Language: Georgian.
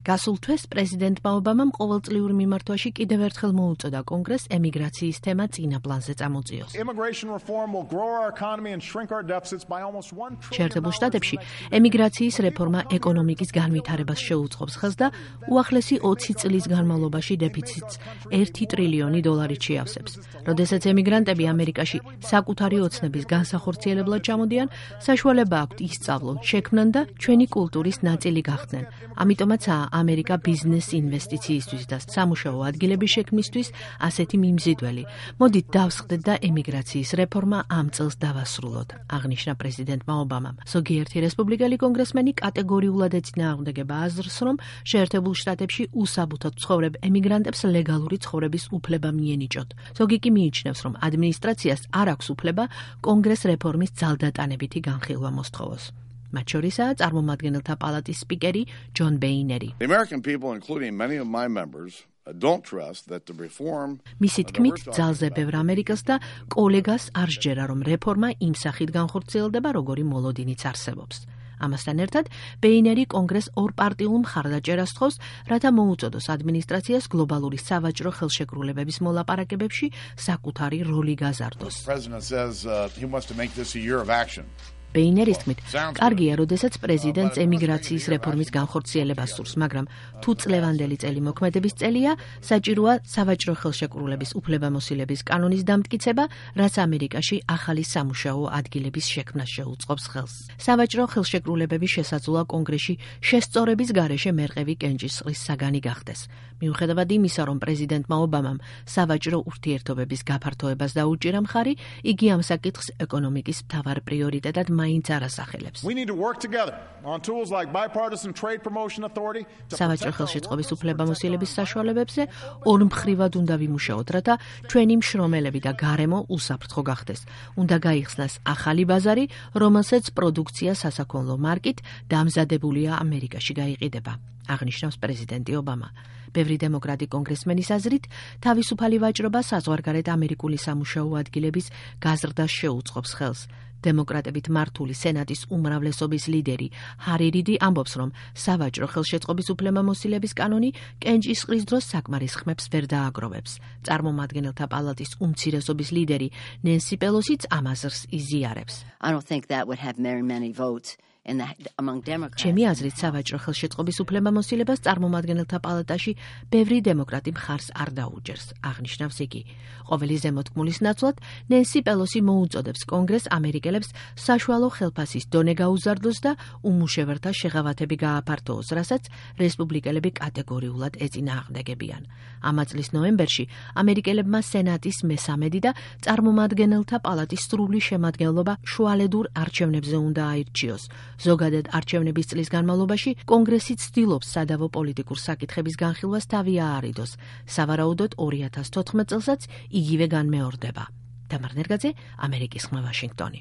გასულ თვეს პრეზიდენტმა ობამამ ყოველწლიურ მიმართვაში კიდევ ერთხელ მოუწოდა კონგრესს ემიგრაციის თემა წინა პლანზე წამოწიოს. შეერთებულ შტატებში ემიგრაციის რეფორმა ეკონომიკის განვითარებას შეუწყობს ხელს და უახლესი 20 წლის განმავლობაში დეფიციტს $1 ტრილიონი შეავსებს. როდესაც ემიგრანტები ამერიკაში საკუთარი ოცნების განსახორციელებლად ჩამოდიან, საშუალება აქვთ ისწავლონ, შექმნან და ჩვენი კულტურის ნაწილი გახდნენ. ამიტომაცაა ამერიკა ბიზნეს ინვესტიციისთვის და სამუშაო ადგილების შექმნისთვის ასეთი მიმზიდველი. მოდით დავსხდეთ და ემიგრაციის რეფორმა ამ წელს დავასრულოთ, აღნიშნა პრეზიდენტმა ობამამ. ზოგიერთი რესპუბლიკელი კონგრესმენი კატეგორიულად ეწინააღმდეგება აზრს, რომ შეერთებულ შტატებში უსაბუთოდ ცხოვრებ ემიგრანტებს ლეგალური ცხოვრების უფლება მიენიჭოთ. ზოგი კი მიიჩნევს, რომ ადმინისტრაციას არ აქვს უფლება კონგრეს რეფორმის ძალდატანებითი განხილვა მოსთხოვოს. მათ შორისაა წარმომადგენელთა პალატის სპიკერი ჯონ ბეინერი. მისი თქმით, ძალზე ბევრ ამერიკელს და კოლეგას არ სჯერა, რომ რეფორმა იმ სახით განხორციელდება, როგორი მოლოდინიც არსებობს. ამასთან ერთად, ბეინერი კონგრესს ორპარტიულ მხარდაჭერას თხოვს, რათა მოუწოდოს ადმინისტრაციას გლობალური სავაჭრო ხელშეკრულებების მოლაპარაკებებში საკუთარი როლი გაზარდოს. ბეინერის თქმით, კარგია, როდესაც პრეზიდენტს ემიგრაციის რეფორმის განხორციელებას სურს, მაგრამ თუ წლევანდელი წელი მოქმედების წელია, საჭიროა სავაჭრო ხელშეკრულების უფლებამოსილების კანონის დამტკიცება, რაც ამერიკაში ახალი სამუშაო ადგილების შექმნას შეუწყობს ხელს. სავაჭრო ხელშეკრულებების შესაძლოა კონგრესში შესწორების გარეშე მერყევი კენჭისყრის საგანი გახდეს. მიუხედავად იმისა, რომ პრეზიდენტმა ობამამ სავაჭრო ურთიერთობების გაფართოებას დაუჭირა მხარი, იგი ამ საკითხს ეკონომიკის მთავარ პრიორიტეტად მაინც არ ასახელებს. სავაჭრო ხელშეწყობის უფლებამოსილების საშუალებებზე ორმხრივად უნდა ვიმუშაოთ, რათა ჩვენი მშრომელები და გარემო უსაფრთხო გახდეს. უნდა გაიხსნას ახალი ბაზარი, რომელსაც პროდუქცია სასაქონლო მარკით დამზადებულია ამერიკაში გაიყიდება, აღნიშნავს პრეზიდენტი ობამა. ბევრი დემოკრატი კონგრესმენის აზრით, თავისუფალი ვაჭრობა საზღვარგარეთ ამერიკული სამუშაო ადგილების გაზრდას შეუწყობს ხელს. დემოკრატებით მართული სენატის უმრავლესობის ლიდერი ჰარი რიდი ამბობს, რომ სავაჭრო ხელშეწყობის უფლებამოსილების კანონი კენჭისყრის დროს საკმარის ხმებს ვერ დააგროვებს. წარმომადგენელთა პალატის უმცირესობის ლიდერი ნენსი პელოსიც ამ აზრს იზიარებს. ჩემი აზრით, სავაჭრო ხელშეწყობის უფლებამოსილებას წარმომადგენელთა პალატაში ბევრი დემოკრატი მხარს არ დაუჯერს, აღნიშნავს იგი. ყოველი ზემოთქმულის ნაცვლად, ნენსი პელოსი მოუწოდებს კონგრესს ამერიკელებს საშუალო ხელფასის დონე გაუზარდოს და უმუშევართა შეღავათები გააფართოოს, რასაც რესპუბლიკელები კატეგორიულად ეწინააღმდეგებიან. ამა წლის ნოემბერში ამერიკელებმა სენატის მესამედი და წარმომადგენელთა პალატის სრული შემადგენლობა შუალედურ არჩევნებზე უნდა აირჩიოს. ზოგადად არჩევნების წლის განმავლობაში კონგრესი ცდილობს სადავო პოლიტიკურ საკითხების განხილვას თავი აარიდოს. სავარაუდოდ 2014 წელსაც იგივე განმეორდება. თამარ ნერგაძე, ამერიკის ხმა, ვაშინგტონი.